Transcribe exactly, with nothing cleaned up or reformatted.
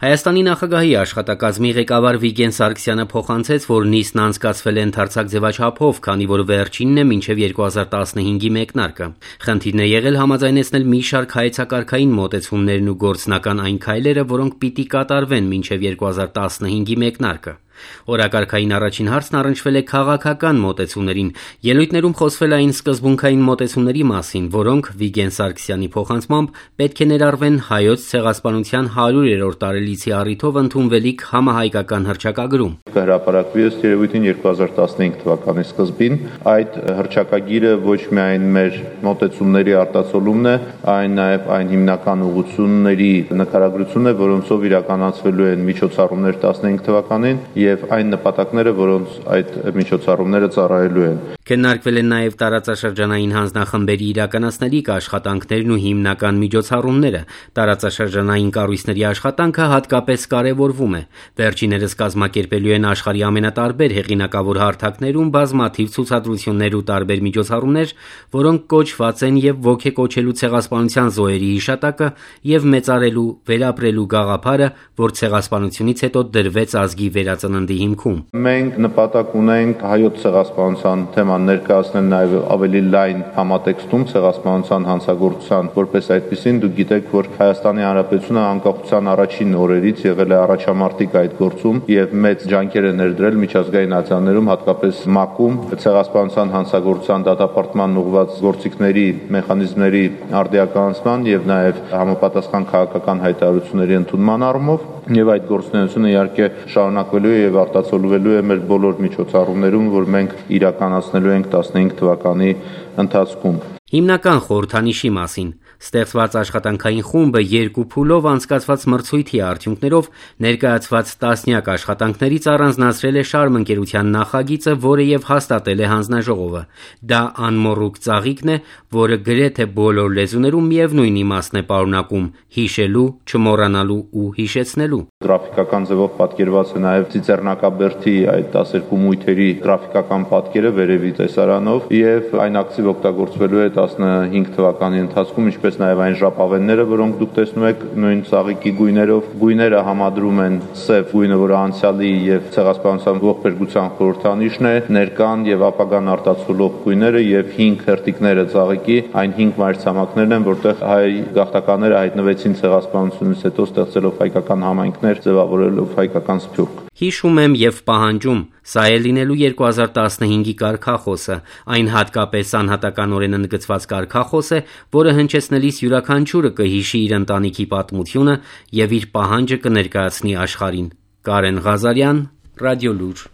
Հայաստանի նախագահի աշխատակազմի ղեկավար Վիգեն Սարգսյանը փոխանցեց, որ նիստն անցկացվել է ընդարձակ ձևաչափով, քանի որ վերջինն է մինչև երկու հազար տասնհինգի մեկնարկը։ Խնդիրն է եղել համաձայնեցնել մի շարք հայեցակարգային մոտեցումներն ու գործնական այն քայլերը, որոնք պիտի կատարվեն մինչև երկու հազար տասնհինգի մեկնարկը։ Օրակարգային առաջին հարցն առնչվել է քաղաքական մոտեցումներին։ Ելույթներում խոսվել այն սկզբունքային մոտեցումների մասին, որոնք Վիգեն Սարգսյանի փոխանցմամբ պետք է ներառվեն հայոց ցեղասպանության հարյուրերորդ տարելիցի առիթով ընդունվելիք համահայկական հռչակագրում։ Կհրապարակվի ըստ երևույթին երկու հազար տասնհինգ թվականի սկզբին։ Այդ հռչակագիրը ոչ միայն մեր մոտեցումների արտացոլումն է, այն նաև այն հիմնական ուղղությունների նկարագրությունն է, որոնցով իրականացվելու են միջոցառումներ տասնհինգ թվականին եւ այն նպատակները, որոնց այդ միջոցառումները ծառայելու են։ Քննարկվել են նաև տարածաշրջանային հանձնախմբերի իրականացնելիք աշխատանքներն ու հիմնական միջոցառումները։ Տարածաշրջանային կառույցների աշխատանքը հատկապես կարևորվում է։ Վերջիներս կազմակերպելու են աշխարհի ամենատարբեր հեղինակավոր հարթակներում բազմաթիվ ցուցադրություններ ու տարբեր միջոցառումներ, որոնք կոչված են եւ ոգեկոչելու ցեղասպանության զոհերի հիշատակը եւ մեծարելու, վերապրելու գաղափարը, որ ցեղասպանությունից հետո դրվեց ազգի վերածննդի հիմքում։ Մենք նպատակ ունենք հայոց ցեղասպանության թեման ներկայացնել նաև ավելի լայն համատեքստում ցեղասպանության հանցագործության, որպես այդպիսին դուք գիտեք, որ Հայաստանի Հանրապետությունը անկախության առաջին օրերից եղել է առաջամարտիկ այդ գործում եւ մեծ ջանքեր է ներդրել միջազգային ատյաններում, հատկապես ՄԱԿ-ում ցեղասպանության հանցագործության դատապարտման ուղղված գործիքների մեխանիզմների արդիականացման եւ նաև համապատասխան քաղաքական հայտարարությունների ընդունման առումով եւ այդ գործունեությունը իհարկե շարունակվելու է եւ արտացոլվելու է մեր բոլոր միջոցառումներում, որ մենք իրականացնելու ենք տասնհինգ թվականի ընթացքում։ Հիմնական խորհրդանիշի մասին ստեղծված աշխատանքային խումբը երկու փուլով անցկացված մրցույթի արդյունքներով ներկայացված տասնյակ աշխատանքներից առանձնացրել է շարմընկերության նախագիծը, որը եւ հաստատել է հանձնաժողովը։ Դա անմոռուկ ծաղիկն է, որը գրեթե բոլոր լեզուներում միևնույն իմաստն է պարունակում՝ հիշելու, չմոռանալու ու հիշեցնելու։ Գրաֆիկական ձևով պատկերված է նաև Ծիծեռնակաբերդի այդ տասներկու մույթերի գրաֆիկական պատկերը վերևի տեսարանով եւ այն ակտիվ օգտագործվելու է տասնհինգ թվականի ընթացքում, ինչպես նաև այն ժապավենները, որոնք դուք տեսնում եք նույն ծաղիկի գույներով։ Գույները համադրում են սև գույնը, որը անցյալի եւ ցեղասպանության ողբերգության խորհրդանիշն է, ներկան եւ ապագան արտացոլող գույները եւ հինգ հերթիկները ծաղիկի, այն հինգ մայրցամաքներն են, որտեղ հայ գաղթականները հայտնվեցին ցեղասպանությունից հետո ստեղծելով հայկական համայնքներ, ձևավորելով հայկական սփյուռք։ Հիշում եմ եւ պահանջում, սա է լինելու երկու հազար տասնհինգի կարգախոսը։ Այն հատկապես անհատականորեն ընդգծված կարգախոս է, որը հնչեցնելիս յուրաքանչյուրը կհիշի իր ընտանիքի պատմությունը եւ իր պահանջը կներկայացնի աշխարհին։ Կարեն Ղազարյան, Ռադիոլուր։